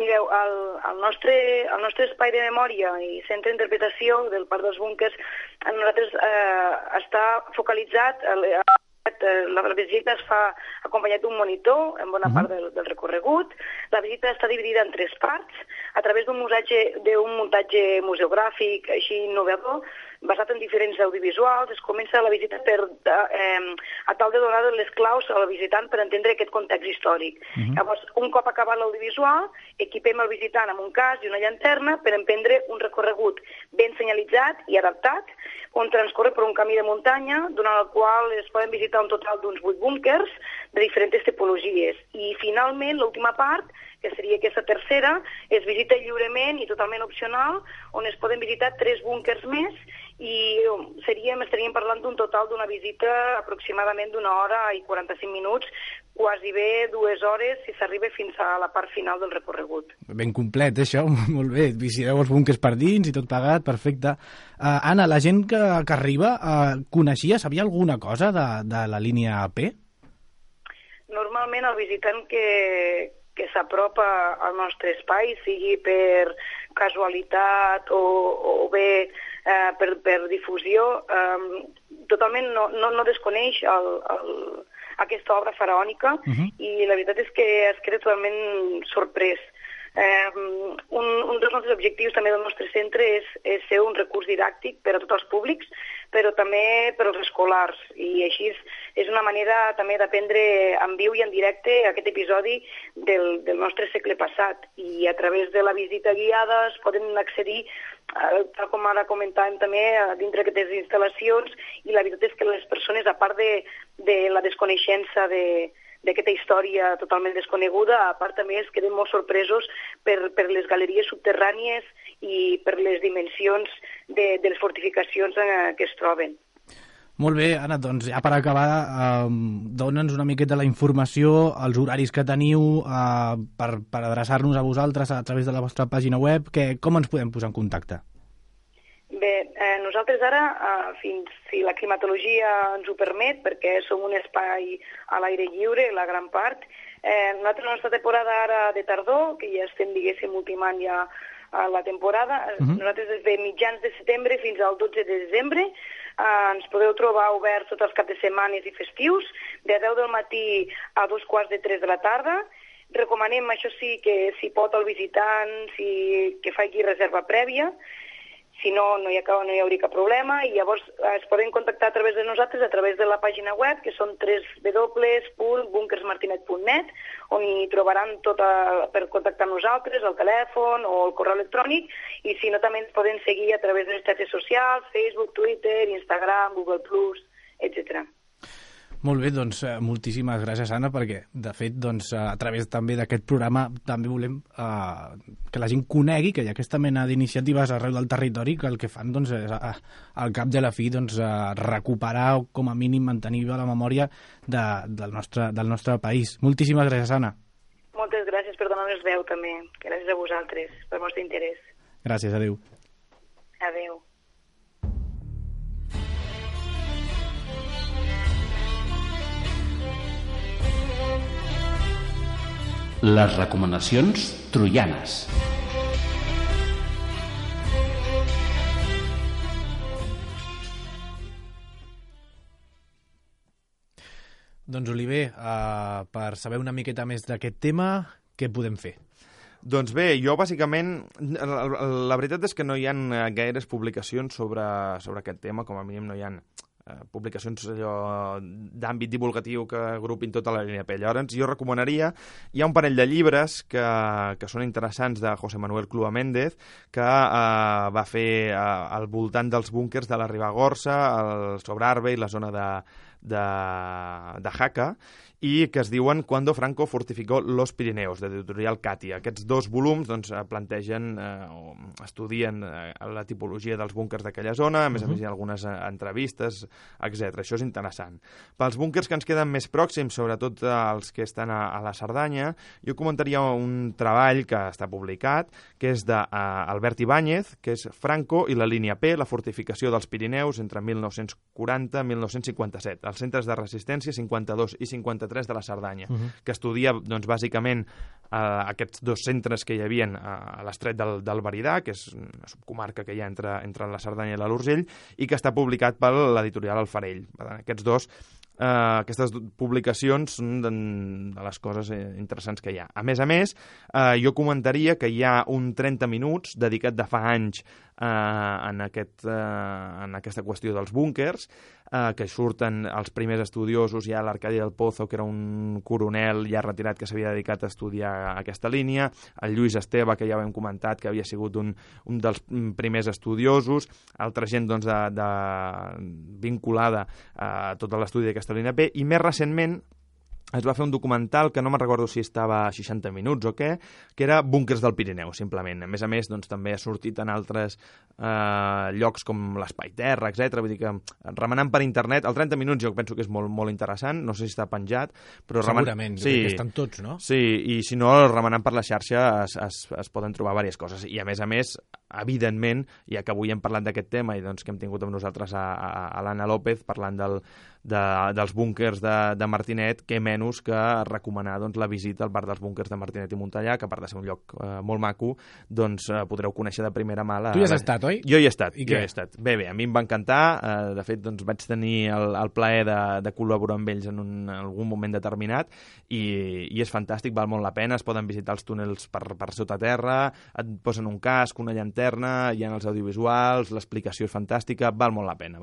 Mireu, el nostre espai de memòria i centre d'interpretació del Parc dels Búnquers, nosaltres està focalitzat, la visita es fa acompanyat d'un monitor en bona part del recorregut. La visita està dividida en 3 parts, a través d'un muntatge museogràfic així innovador, basat en diferents audiovisuals. Es comença la visita a tal de donar les claus al visitant per entendre aquest context històric. Llavors, un cop acabat l'audiovisual, equipem el visitant amb un casc i una llanterna per emprendre un recorregut ben senyalitzat i adaptat, on transcorre per un camí de muntanya, durant el qual es poden visitar un total d'uns 8 búnquers de diferents tipologies. I finalment, l'última part, que seria aquesta tercera, es visita lliurement i totalment opcional, on es poden visitar 3 búnquers més, i estaríem parlant d'un total d'una visita aproximadament d'una hora i 45 minuts, quasi bé 2 hores si s'arriba fins a la part final del recorregut. Ben complet, això, molt bé. Visiteu els búnquers per dins i tot pagat, perfecte. Anna, la gent que arriba coneixia, sabia alguna cosa de la línia P? Normalment el visitant que s'apropa al nostre espai, sigui per casualitat o bé per difusió, totalment no desconeix aquesta obra faraònica, i la veritat és que es queda totalment sorprès. Un dels nostres objectius també del nostre centre és ser un recurs didàctic per a tots els públics, però també per als escolars, i així és una manera també d'aprendre en viu i en directe aquest episodi del nostre segle passat, i a través de la visita guiada es poden accedir, tal com ara comentàvem també, dintre d'aquestes instal·lacions, i la veritat és que les persones, a part de la desconeixença d'aquesta història totalment desconeguda, a part també es queden molt sorpresos per les galeries subterrànies i per les dimensions de les fortificacions que es troben. Molt bé, Anna, doncs ja per acabar, dona'ns una miqueta la informació, els horaris que teniu per adreçar-nos a vosaltres a través de la vostra pàgina web, com ens podem posar en contacte? Bé, nosaltres ara, fins si la climatologia ens ho permet, perquè som un espai a l'aire lliure, la gran part, nosaltres la nostra temporada ara de tardor, que ja estem, diguéssim, ultimant ja la temporada, nosaltres des de mitjans de setembre fins al 12 de desembre, ens podeu trobar oberts tots els caps de setmanes i festius, de 10 del matí a 2:15 de la tarda. Recomanem, això sí, que si pot el visitant, que faci reserva prèvia. Si no, no hi hauria cap problema, i llavors es poden contactar a través de nosaltres, a través de la pàgina web, que són www.bunkersmartinet.net, on hi trobaran tot per contactar amb nosaltres, el telèfon o el correu electrònic, i si no, també ens poden seguir a través de les xarxes socials, Facebook, Twitter, Instagram, Google+, etc. Molt bé, doncs moltíssimes gràcies, Anna, perquè, de fet, doncs, a través també d'aquest programa també volem que la gent conegui que hi ha aquesta mena d'iniciatives arreu del territori que el que fan doncs, és, al cap de la fi, doncs, recuperar o, com a mínim, mantenir la memòria del nostre país. Moltíssimes gràcies, Anna. Moltes gràcies per donar-nos veu, també. Gràcies a vosaltres, pel vostre interès. Gràcies, adéu. Adéu. Les recomanacions troianes. Doncs, Oliver, per saber una miqueta més d'aquest tema, què podem fer? Doncs bé, jo bàsicament, la veritat és que no hi ha gaires publicacions sobre aquest tema, com a mínim no hi ha publicacions d'àmbit divulgatiu que agrupin tota la línia P. Llavors, jo recomanaria, hi ha un parell de llibres que són interessants de José Manuel Clua Méndez, que va fer al voltant dels búnkers de la Ribagorça, sobre Arbe i la zona de Jaca, i que es diuen Cuando Franco fortificó los Pirineos, de l'editorial Catia. Aquests dos volums doncs, plantegen o estudien la tipologia dels búnkers d'aquella zona, a més hi ha algunes entrevistes, etc. Això és interessant. Pels búnkers que ens queden més pròxims, sobretot els que estan a la Cerdanya, jo comentaria un treball que està publicat, que és d'Albert Ibáñez, que és Franco i la línia P, la fortificació dels Pirineus entre 1940 i 1957, els centres de resistència 52 i 53 de la Cerdanya, que estudia doncs, bàsicament aquests dos centres que hi havia a l'estret del Veridà, que és una subcomarca que hi ha entre la Cerdanya i l'Urgell, i que està publicat per l'editorial El Farell. Aquestes publicacions són de les coses interessants que hi ha. A més, jo comentaria que hi ha un 30 minuts dedicat de fa anys en aquesta qüestió dels búnkers, que surten els primers estudiosos, ja l'Arcadi del Pozo, que era un coronel ja retirat que s'havia dedicat a estudiar aquesta línia, el Lluís Esteve, que ja ho hem comentat, que havia sigut un dels primers estudiosos, altra gent doncs, vinculada a tot l'estudi d'aquesta línia P, i més recentment es va fer un documental que no me'n recordo si estava a 60 minuts o què, que era Búnkers del Pirineu, simplement. A més, doncs, també ha sortit en altres llocs com l'Espai Terra, etc. Vull dir que remenant per internet, el 30 minuts jo penso que és molt, molt interessant, no sé si està penjat, però segurament, jo crec que estan tots, no? Sí, i si no, remenant per la xarxa es poden trobar diverses coses. I a més, evidentment, ja que avui hem parlat d'aquest tema i doncs, que hem tingut amb nosaltres a l'Anna López parlant dels búnkers de Martinet, què menys que recomanar doncs, la visita al bar dels búnkers de Martinet i Montellà, que a part de ser un lloc molt maco, doncs podreu conèixer de primera mà. Tu hi has estat, oi? Jo hi he estat. Bé, a mi em va encantar. De fet, doncs, vaig tenir el plaer de col·laborar amb ells en algun moment determinat i és fantàstic, val molt la pena. Es poden visitar els túnels per sota terra, et posen un casc, una llanterna, hi ha els audiovisuals, l'explicació és fantàstica, val molt la pena.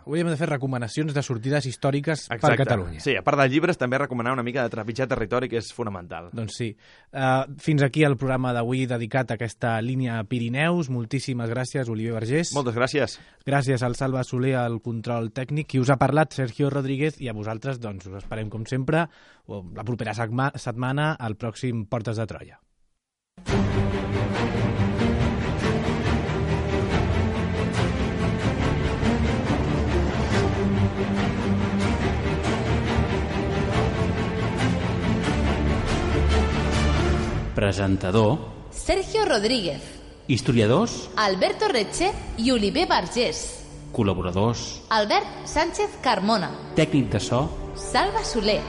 Avui hem de fer recomanacions de sortides històriques per Catalunya. Sí, a part dels llibres, també recomanar una mica de trepitjar territori, que és fonamental. Doncs sí. Fins aquí el programa d'avui dedicat a aquesta línia Pirineus. Moltíssimes gràcies, Oliver Vergés. Moltes gràcies. Gràcies al Salva Soler, al control tècnic. Qui us ha parlat, Sergio Rodríguez, i a vosaltres, doncs, us esperem, com sempre, la propera setmana al pròxim Portes de Troia. Presentador Sergio Rodríguez. Historiadors Alberto Reche i Oliver Vergés. Col·laboradors Albert Sánchez Carmona. Tècnic de so Salva Soler.